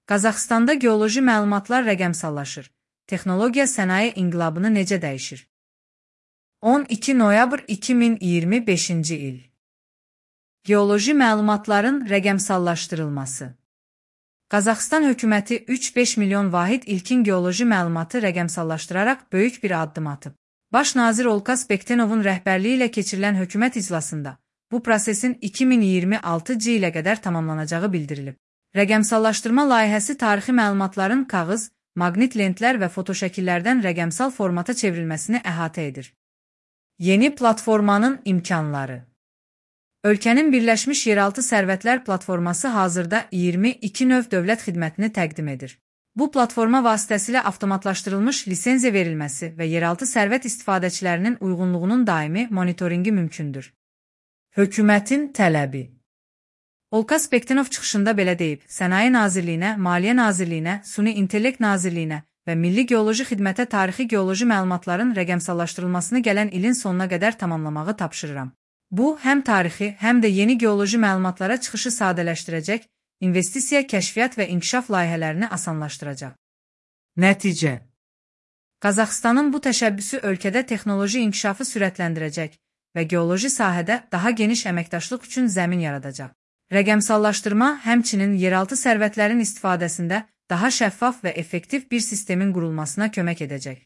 Qazaxstanda geoloji məlumatlar rəqəmsallaşır. Texnologiya sənaye inqilabını necə dəyişir? 12 noyabr 2025-ci il. Geoloji məlumatların rəqəmsallaşdırılması. Qazaxstan hökuməti 3-5 milyon vahid ilkin geoloji məlumatı rəqəmsallaşdıraraq böyük bir addım atıb. Baş nazir Olkas Bektenovun rəhbərliyi ilə keçirilən hökumət iclasında bu prosesin 2026-cı ilə qədər tamamlanacağı bildirilib. Rəqəmsallaşdırma layihəsi tarixi məlumatların kağız, maqnit lentlər və fotoşəkillərdən rəqəmsal formata çevrilməsini əhatə edir. Yeni platformanın imkanları. Ölkənin Birləşmiş Yeraltı Sərvətlər platforması hazırda 22 növ dövlət xidmətini təqdim edir. Bu platforma vasitəsilə avtomatlaşdırılmış lisenziya verilməsi və yeraltı sərvət istifadəçilərinin uyğunluğunun daimi monitoringi mümkündür. Hökumətin tələbi. Olkas Bektenov çıxışında belə deyib, Sənaye Nazirliyinə, Maliyyə Nazirliyinə, Süni İntellekt Nazirliyinə və Milli Geoloji Xidmətə tarixi geoloji məlumatların rəqəmsallaşdırılmasını gələn ilin sonuna qədər tamamlamağı tapşırıram. Bu, həm tarixi, həm də yeni geoloji məlumatlara çıxışı sadələşdirəcək, investisiya, kəşfiyyat və inkişaf layihələrini asanlaşdıracaq. Nəticə. Qazaxstanın bu təşəbbüsü ölkədə texnoloji inkişafı sürətləndirəcək və geoloji sahədə daha geniş əməkdaşlıq üçün zəmin yaradacaq. Rəqəmsallaşdırma həmçinin yeraltı sərvətlərin istifadəsində daha şəffaf və effektiv bir sistemin qurulmasına kömək edəcək.